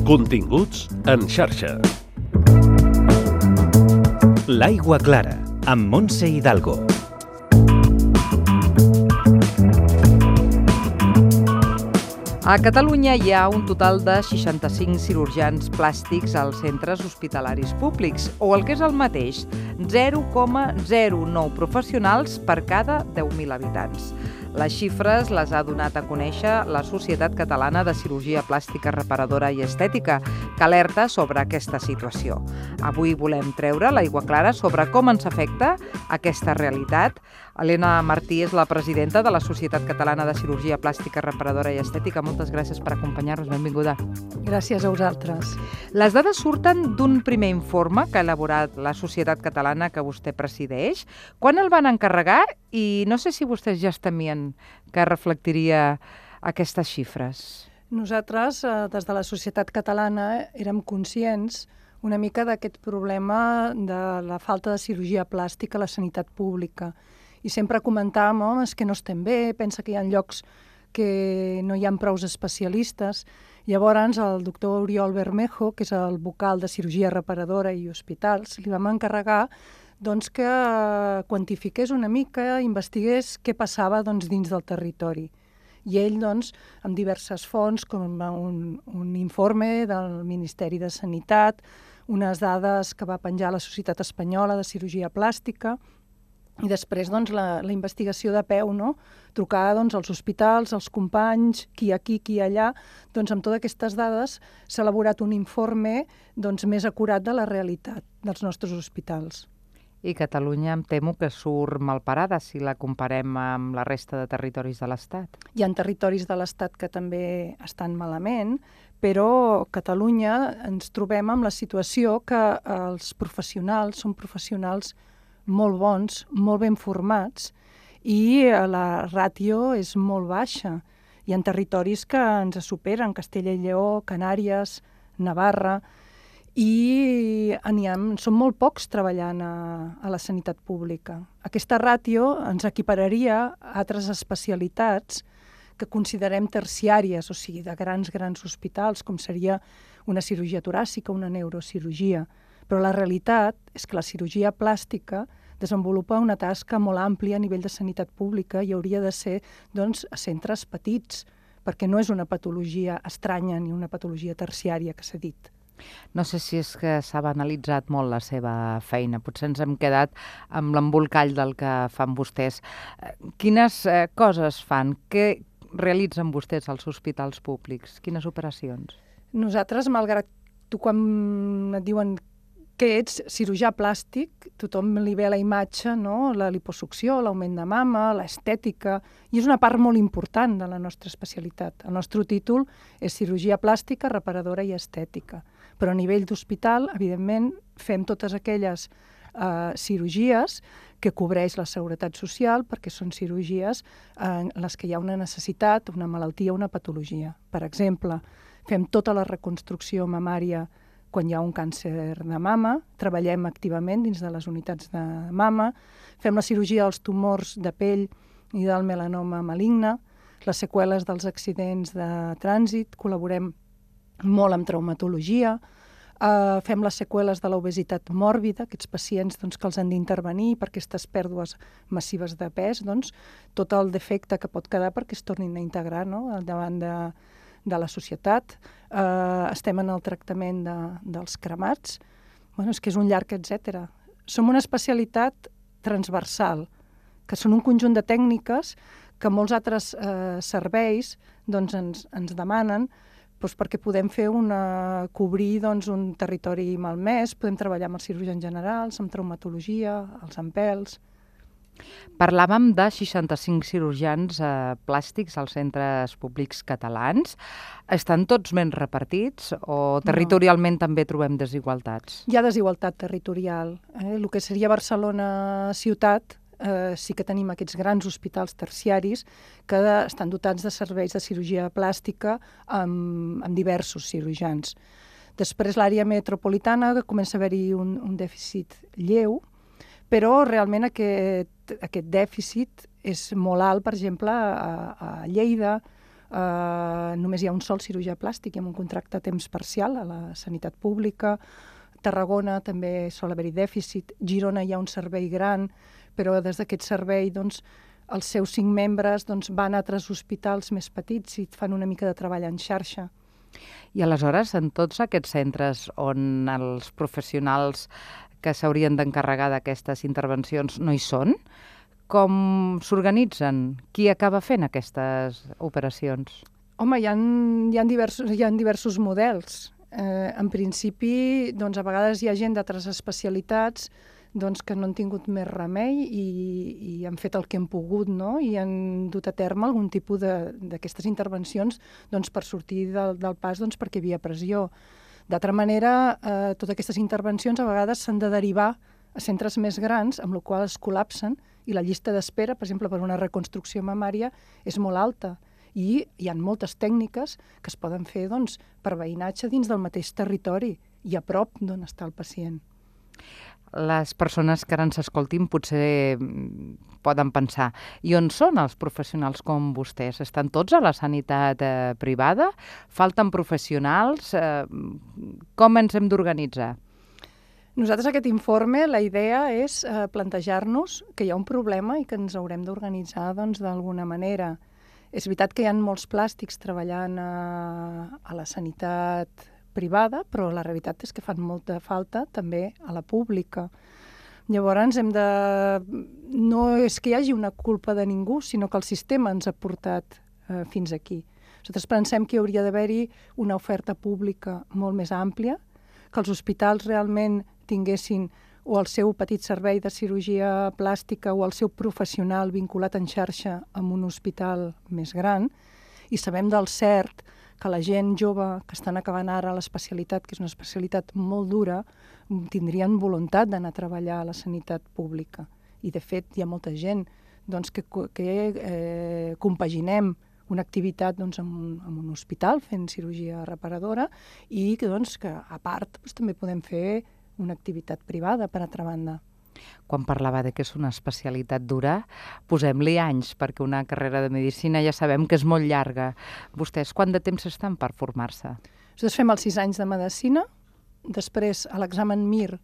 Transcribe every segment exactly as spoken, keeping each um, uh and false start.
Continguts en xarxa. L'Aigua Clara, amb Montse Hidalgo. A Catalunya hi ha un total de seixanta-cinc cirurgians plàstics als centres hospitalaris públics, o el que és el mateix, zero coma zero nou professionals per cada deu mil habitants. Les xifres les ha donat a conèixer la Societat Catalana de Cirurgia Plàstica Reparadora i Estètica, que alerta sobre aquesta situació. Avui volem treure l'aigua clara sobre com ens afecta aquesta realitat. Helena Martí és la presidenta de la Societat Catalana de Cirurgia Plàstica Reparadora i Estètica. Moltes gràcies per acompanyar-nos. Benvinguda. Gràcies a vosaltres. Les dades surten d'un primer informe que ha elaborat la Societat Catalana que vostè presideix. Quan el van encarregar? I no sé si vostès ja es temien que reflectiria aquestes xifres. Nosaltres, des de la Societat Catalana, érem conscients una mica d'aquest problema de la falta de cirurgia plàstica a la sanitat pública. I sempre comentàvem, home, és que no estem bé, pensa que hi ha llocs que no hi ha prous especialistes. Llavors, el doctor Oriol Bermejo, que és el vocal de cirurgia reparadora i hospitals, li vam encarregar doncs, que quantifiqués una mica, investigués què passava doncs, dins del territori. I ell, doncs, amb diverses fonts, com un, un informe del Ministeri de Sanitat, unes dades que va penjar la Societat Espanyola de Cirurgia Plàstica, i després doncs, la, la investigació de peu, no? Trucar doncs, als hospitals, als companys, qui aquí, qui allà. Doncs, amb totes aquestes dades s'ha elaborat un informe doncs, més acurat de la realitat dels nostres hospitals. I Catalunya em temo que surt malparada si la comparem amb la resta de territoris de l'Estat. Hi ha territoris de l'Estat que també estan malament, però a Catalunya ens trobem amb la situació que els professionals són professionals molt bons, molt ben formats, i la ràtio és molt baixa. Hi ha territoris que ens superen, Castella i Lleó, Canàries, Navarra, i ha, són molt pocs treballant a, a la sanitat pública. Aquesta ràtio ens equipararia a altres especialitats que considerem terciàries, o sigui, de grans, grans hospitals, com seria una cirurgia toràcica, una neurocirurgia. Però la realitat és que la cirurgia plàstica desenvolupa una tasca molt àmplia a nivell de sanitat pública i hauria de ser doncs, a centres petits, perquè no és una patologia estranya ni una patologia terciària que s'ha dit. No sé si és que s'ha banalitzat molt la seva feina. Potser ens hem quedat amb l'embolcall del que fan vostès. Quines eh, coses fan? Què realitzen vostès als hospitals públics? Quines operacions? Nosaltres, malgrat tu quan et diuen que ets cirurgià plàstic, tothom li ve la imatge, no? La liposucció, l'augment de mama, l'estètica, i és una part molt important de la nostra especialitat. El nostre títol és cirurgia plàstica, reparadora i estètica. Però a nivell d'hospital, evidentment, fem totes aquelles eh, cirurgies que cobreix la Seguretat Social, perquè són cirurgies en les que hi ha una necessitat, una malaltia, una patologia. Per exemple, fem tota la reconstrucció mamària quan hi ha un càncer de mama, treballem activament dins de les unitats de mama, fem la cirurgia dels tumors de pell i del melanoma maligne, les seqüeles dels accidents de trànsit, col·laborem molt amb traumatologia, uh, fem les seqüeles de l'obesitat mòrbida, aquests pacients doncs, que els han d'intervenir per aquestes pèrdues massives de pes, doncs, tot el defecte que pot quedar perquè es tornin a integrar, no?, davant de, de la societat. Uh, estem en el tractament de, dels cremats. Bueno, és que és un llarg etcètera. Som una especialitat transversal, que són un conjunt de tècniques que molts altres eh, serveis doncs, ens, ens demanen doncs, perquè podem fer una, cobrir doncs, un territori malmès, podem treballar amb els cirurgians generals, amb traumatologia, els ampels. Parlàvem de seixanta-cinc cirurgians eh, plàstics als centres públics catalans. Estan tots ben repartits o territorialment no. També trobem desigualtats? Hi ha desigualtat territorial. Eh? El que seria Barcelona ciutat, eh, sí que tenim aquests grans hospitals terciaris que estan dotats de serveis de cirurgia plàstica amb, amb diversos cirurgians. Després l'àrea metropolitana, que comença a haver-hi un, un dèficit lleu, però realment aquest, aquest dèficit és molt alt, per exemple, a, a Lleida Uh, només hi ha un sol cirurgià plàstic i amb un contracte a temps parcial a la sanitat pública. Tarragona també sol haver-hi dèficit. Girona hi ha un servei gran, però des d'aquest servei doncs, els seus cinc membres doncs, van a altres hospitals més petits i fan una mica de treball en xarxa. I aleshores, en tots aquests centres on els professionals que s'haurien d'encarregar d'aquestes intervencions no hi són, com s'organitzen? Qui acaba fent aquestes operacions? Home, hi ha, hi ha, diversos, hi ha diversos models. Eh, en principi, doncs, a vegades hi ha gent d'altres especialitats doncs, que no han tingut més remei i, i han fet el que han pogut, no? I han dut a terme algun tipus d'aquestes intervencions doncs, per sortir del, del pas doncs, perquè hi havia pressió. D'altra manera, eh, totes aquestes intervencions a vegades s'han de derivar a centres més grans, amb la qual es col·lapsen, i la llista d'espera, per exemple, per una reconstrucció mamària, és molt alta. I hi ha moltes tècniques que es poden fer doncs, per veïnatge dins del mateix territori i a prop d'on està el pacient. Les persones que ara ens escoltin potser poden pensar, i on són els professionals com vostès? Estan tots a la sanitat eh, privada? Falten professionals? Eh, com ens hem d'organitzar? Nosaltres, aquest informe, la idea és eh, plantejar-nos que hi ha un problema i que ens haurem d'organitzar doncs, d'alguna manera. És veritat que hi ha molts plàstics treballant a, a la sanitat privada, però la realitat és que fan molta falta també a la pública. Llavors, hem de... no és que hi hagi una culpa de ningú, sinó que el sistema ens ha portat eh, fins aquí. Nosaltres pensem que hi hauria d'haver-hi una oferta pública molt més àmplia, que els hospitals realment tinguessin o el seu petit servei de cirurgia plàstica o el seu professional vinculat en xarxa amb un hospital més gran, i sabem del cert que la gent jove que estan acabant ara l'especialitat, que és una especialitat molt dura, tindrien voluntat d'anar a treballar a la sanitat pública. I, de fet, hi ha molta gent doncs, que, que eh, compaginem una activitat doncs, en, un, en un hospital fent cirurgia reparadora i que, doncs, que a part doncs, també podem fer una activitat privada, per altra banda. Quan parlava de que és una especialitat dura, posem-li anys, perquè una carrera de medicina ja sabem que és molt llarga. Vostès quant de temps estan per formar-se? Nosaltres fem els sis anys de medicina, després a l'examen M I R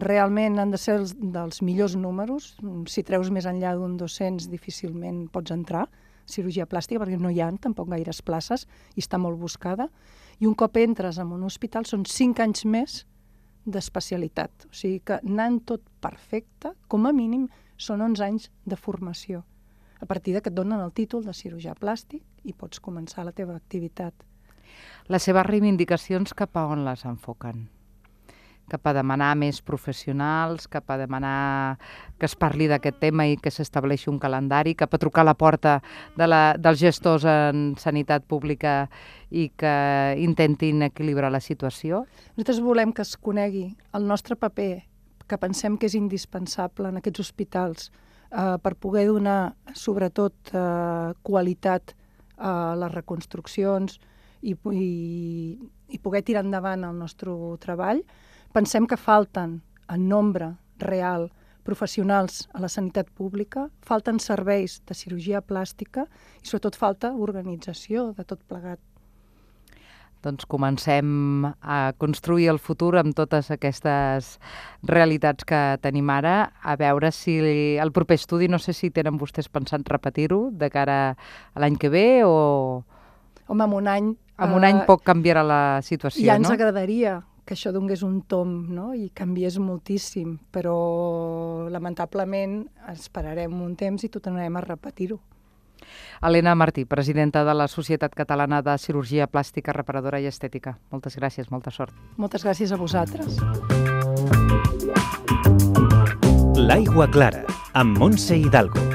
realment han de ser els, dels millors números. Si treus més enllà d'un dos-cents difícilment pots entrar, cirurgia plàstica, perquè no hi ha tampoc gaires places i està molt buscada. I un cop entres en un hospital són cinc anys més d'especialitat. O sigui que anant tot perfecte, com a mínim, són onze anys de formació. A partir de que et donen el títol de cirurgià plàstic i pots començar la teva activitat. Les seves reivindicacions cap a on les enfoquen? Cap a demanar més professionals, cap a demanar que es parli d'aquest tema i que s'estableixi un calendari, cap a trucar a la porta de la, dels gestors en sanitat pública i que intentin equilibrar la situació? Nosaltres volem que es conegui el nostre paper, que pensem que és indispensable en aquests hospitals eh, per poder donar, sobretot, eh, qualitat a les reconstruccions i, i, i poder tirar endavant el nostre treball. Pensem que falten, en nombre real, professionals a la sanitat pública, falten serveis de cirurgia plàstica i sobretot falta organització de tot plegat. Doncs comencem a construir el futur amb totes aquestes realitats que tenim ara, a veure si el proper estudi, no sé si tenen vostès pensat repetir-ho de cara a l'any que ve o... Home, en un any... En un any poc canviarà la situació, no? Ja ens agradaria que això donés un tomb, no? I canviés moltíssim, però lamentablement esperarem un temps i tornarem a repetir-ho. Helena Martí, presidenta de la Societat Catalana de Cirurgia Plàstica, Reparadora i Estètica. Moltes gràcies, molta sort. Moltes gràcies a vosaltres. L'Aigua Clara, amb Montse Hidalgo.